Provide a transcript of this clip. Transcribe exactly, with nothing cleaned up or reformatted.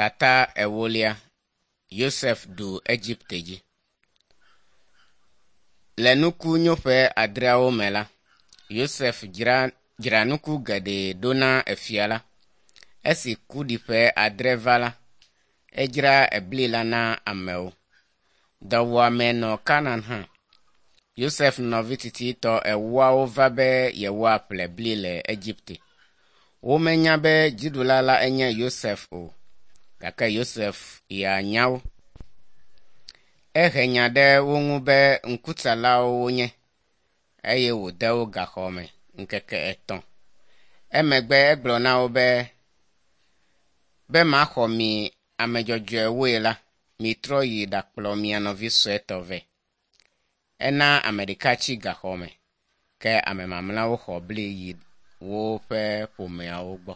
Tata ewolia Yosef ɖu Egipte dzi. Le nuku nyoƒe adreawo me la, Yosef dzra, dzra nuku geɖe ɖo na efia la. Esi kuɖiƒe adre va la, edzra ebli la na amewo. Dɔwuame nɔ Kanaan hã. Yosef nɔvi tsitsitɔ ewoawo va be yewoaƒle bli le Egipte. Womenya be dziɖula la enye Yosef o, gake Yosef ya nya wo. Ehe nya ɖe wo ŋu be ŋkutsalawo wonye eye wòde wo gaxɔ me ŋkeke etɔ̃. Emegbe egblɔ na wo be, be maxɔ mi ame dzɔdzɔewoe la, mitrɔ yi ɖakplɔ mia nɔvi suetɔ vɛ. Ena ame ɖeka tsi gaxɔ me ke ame mamlɛawo xɔ bli yi woƒe ƒomeawo gbɔ.